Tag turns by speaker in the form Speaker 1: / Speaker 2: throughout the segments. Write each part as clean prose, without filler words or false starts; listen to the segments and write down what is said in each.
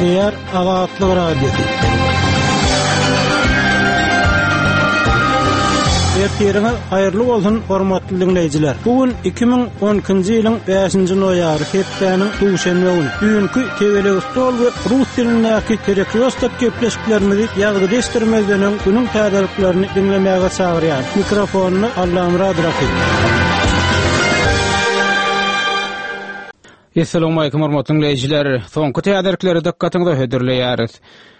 Speaker 1: Gepleýär Azatlyk Radiosy. Ertiriňiz haýyrly bolsun, hormatly diňleýjiler. Bu gün 2012-nji ýylyň 5-nji noýabry, hepdäniň duşenbe güni. Düýnki Tegelek stol we rus dilindäki Perekrýostok gepleşiklerimizi ýazgyda eşitdirmezden öň günüň täzeliklerini diňlemäge çagyrýarys. Mikrofonda Allamyrat Rahymow.
Speaker 2: Essalawmalikim hormatly diňleýjiler! Soňky täzelikleri dykgatyňyza hödürleýäris.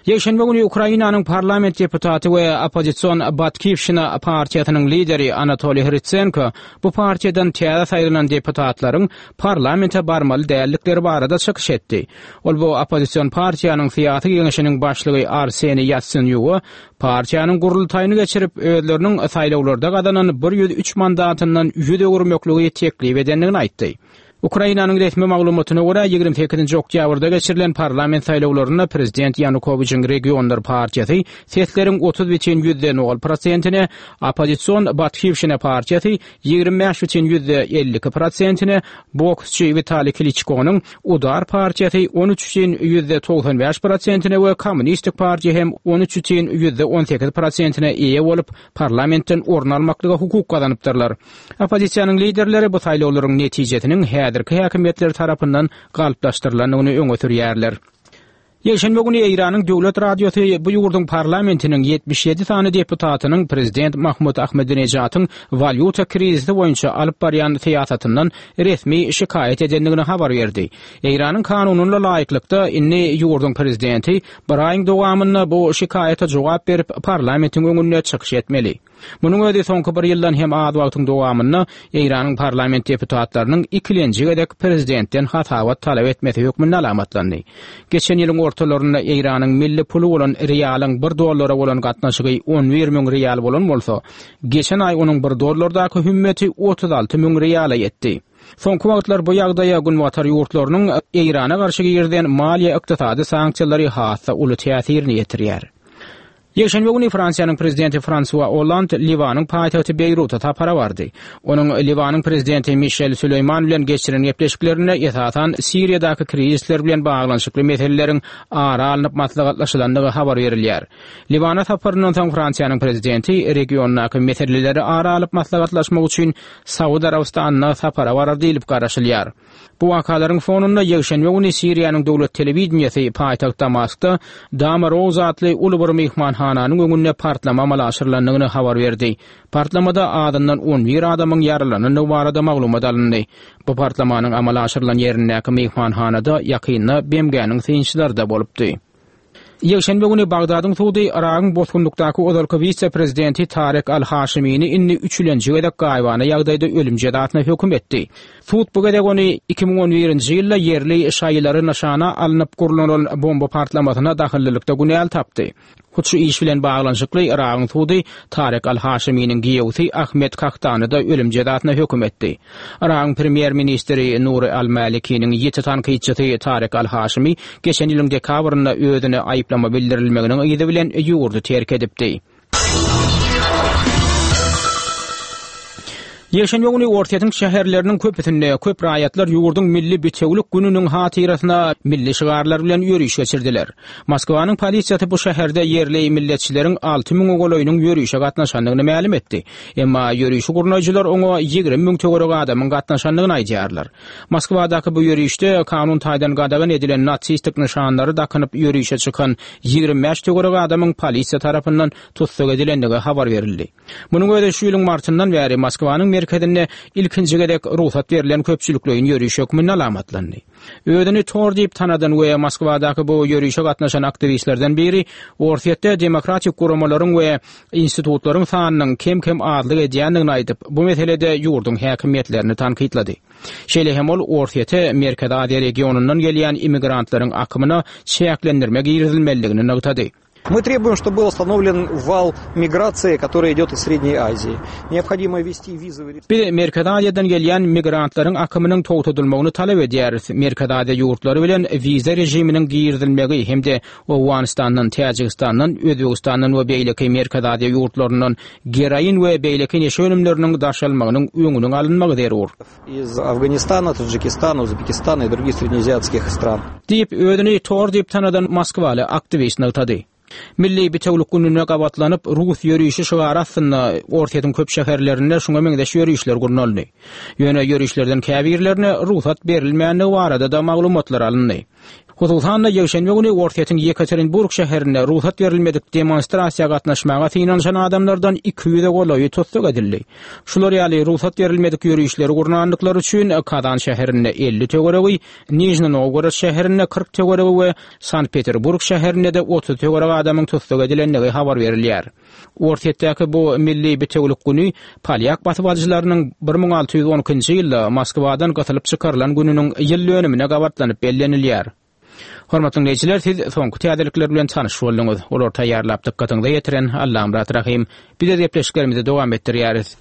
Speaker 2: Ýekşenbe güni Ukrainanyň parlament deputaty we oppozision Batkiwşina partiýasynyň lideri Anatoliý Hrytsenko bu partiýadan täze saýlanan deputatlaryň parlamente barmaly däldikleri barada çykyş etdi. Ol bu oppozision partiýanyň syýasy geňeşiniň başlygy Arseniý Ýatsenýuga partiýanyň gurultaýyny geçirip, özleriniň saýlawlarda gazanan 103 mandatyndan ýüz öwürmekligi teklip edendigini aýtdy. Ukrainanyň resmi maglumatyna görä, 28-nji oktýabrda geçirilen parlament saýlawlarynda prezident Ýanukowiçiň Regionlar partiýasy sesleriň 30 bütin ýüzde nol prosentine, oppozision Batkiwşina partiýasy 25 bütin ýüzde 52 prosentine, boksçy Witaliý Kliçkonyň Udar partiýasy 13 bütin ýüzde 95 prosentine we Kommunistik partiýa hem 13 bütin ýüzde 18 prosentine eýe bolup, parlamentden orun almaklyga hukuk gazanypdyrlar. Oppozisiýanyň liderleri bu saýlawlaryň netijesiniň häzirki häkimiýetler tarapyndan galplaşdyrylandygyny öňe sürýärler. Ýekşenbe güni Eýranyň döwlet radiosy bu ýurduň parlamentiniň 77 sany deputatynyň prezident Mahmud Ahmedinejatyň walýuta krizisi boýunça alyp barýan syýasatyndan resmi şikaýat edendigini habar berdi. Eýranyň kanunyna laýyklykda, indi ýurduň prezidenti bir aýyň dowamynda bu şikaýata jogap berip, parlamentiň öňünde çykyş etmeli. Munuň özi soňky bir ýyldan hem az wagtyň dowamynda Eýranyň parlament deputatlarynyň ikilenji gezek prezidentden hasabat talap etmesi hökmünde alamatlandy. Geçen ýylyň ortalarynda Eýranyň milli puly bolan rialyň bir dollara bolan gatnaşygy 11 müň rial bolan bolsa, geçen aý onuň bir dollardaky hümmeti 36 müň riala ýetdi. Soňky wagtlar bu ýagdaýa Günbatar ýurtlarynyň Eýrana garşy girizen maliýe-ykdysady sanksiýalary has-da uly täsirini ýetirýär. Ýekşenbe güni Fransiýanyň prezidenti Fransua Olland Liwanyň paýtagty Beýruta sapara bardy. Onuň Liwanyň prezidenti Mişel Süleýman bilen geçiren gepleşiklerinde esasan Siriýadaky krizisler bilen baglanyşykly meseleleriň ara alnyp maslahatlaşylandygy habar berilýär. Liwana saparyndan soň Fransiýanyň prezidenti regiondaky meseleleri ara alyp maslahatlaşmak üçin Saud Arabystanyna sapara barar diýlip garaşylýar. Bu wakalaryň fonunda ýekşenbe güni Siriýanyň döwlet telewideniýesi paýtagt Damaskda Dama Rose atly uly bir myhmanhananyň öňünde partlama amala aşyrylandygyny habar berdi. Partlamada azyndan 11 adamyň ýaralanandygy barada maglumat alyndy. Bu partlamanyň amala aşyrylan ýerindäki myhmanhanada ýakynda BMG-niň synçylary-da bolupdy. Ýekşenbe güni Bagdadyň sudy Yragyň bosgunlykdaky ozalky wise-prezidenti Tarek al-Haşimini indi üçülenji gezek gaýybana ýagdaýda ölüm jezasyna höküm etdi. Sud bu gezek ony 2011-nji ýylda ýerli şaýylary nyşana alnyp gurnalan bomba partlamasyna dahyllylykda günäli tapdy. Hut şu iş bilen baglanyşykly Yragyň sudy Tarek al-Haşiminiň giýewsi Ahmed Kahtany-da ölüm jezasyna höküm etdi. Yragyň premýer-ministri Nuri al-Malikiniň ýiti tankytçysy Tarek al-Haşimi geçen ýylyň dekabrynda özüne aýyplama bildirilmeginiň yzy bilen ýurdy terk edipdi. Ýekşenbe güni Orsýetiň şäherleriniň köpüsinde köp raýatlar ýurduň milli bitewülik gününiň hatyrasyna milli şygarlar bilen ýöriş geçirdiler. Moskwanyň polisiýasy bu şäherde ýerli milletçileriň alty müňe golaýynyň ýörişe gatnaşandygyny mälim etdi. Emma ýörişi gurnaýjylar oňa 20 müň töweregi adamyň gatnaşandygyny aýdýarlar. Moskwadaky bu ýörişde kanun taýdan gadagan edilen nasistik nyşanlary dakynyp ýörişe çykan 25 töweregi adamyň polisiýa tarapyndan tussag edilendigi habar berildi. Munuň özi şu ýylyň martyndan bäri Moskwanyň merkezinde ilkinji gezek rugsat berlen köpçülikleýin ýöriş hökmünde alamatlandy. Özüni Tor diýip tanadan we Moskwadaky bu ýörişe gatnaşan aktiwistlerden biri Orsýetde demokratik guramalaryň we institutlaryň sanynyň kem-kem azlyk edýändigini aýdyp, bu meselede ýurduň häkimiýetlerini tankytlady. Şeýle hem ol Orsýete Merkezi Aziýa regionyndan gelýän immigrantlaryň akymyna çäklendirme girizilmelidigini nygtady.
Speaker 3: Мы требуем, чтобы был остановлен вал migrasiýa, который идет из Средней Азии. Необходимо ввести визовый
Speaker 2: Biz Merkezi Aziýadan gelýän migrantlaryň akymynyň togtadylmagyny talap edýäris. Merkezi Aziýa ýurtlary bilen wiza režiminiň girizilmegi hem-de Owganystandan, Täjigistandan, Özbegistandan we beýleki Merkezi Aziýa ýurtlaryndan geroin we beýleki neşe önümleriniň daşalmagynyň öňüniň alynmagy zerur.
Speaker 3: Iz Afganistana, Tadžikistana, Uzbekistana i drugih srednjeaziatskih stran.
Speaker 2: Diýip, özüni Tor diýip tanadan moskwaly aktiwist nygtady. Milli bitewülik gününe gabatlanyp, Rus ýörişi şygary astynda Orsýetiň köp şäherlerinde şuňa meňzeş ýörişler gurnaldy. Ýöne ýörişlerden käbirlerine rugsat berilmändigi barada-da maglumatlar alyndy. Hususan-da, ýekşenbe güni Orsýetiň Ýekaterinburg şäherinde rugsat berilmedik demonstrasiýa gatnaşmaga synanyşan adamlardan 200-e golaýy tussag edildi. Şular ýaly rugsat berilmedik ýörişleri gurnandyklary üçin Kazan şäherinde 50 töweregi, Nižni Nowgorod şäherinde 40 töweregi we Sankt-Peterburg şäherinde-de 30 töweregi adamyň tussag edilendigi habar berilýär. Orsýetdäki bu milli bitewülik güni polýak basybalyjylarynyň 1612-nji ýylda Moskwadan gysylyp çykarylan gününiň ýyl dönümine gabatlanyp bellenilýär. Hormatly diňleýjiler, siz soňky täzelikler bilen tanyş bolduňyz. Olary taýýarlap dykgatyňyza ýetiren Allamyrat Rahym. Biz öz gepleşiklerimizi dowam etdirýäris.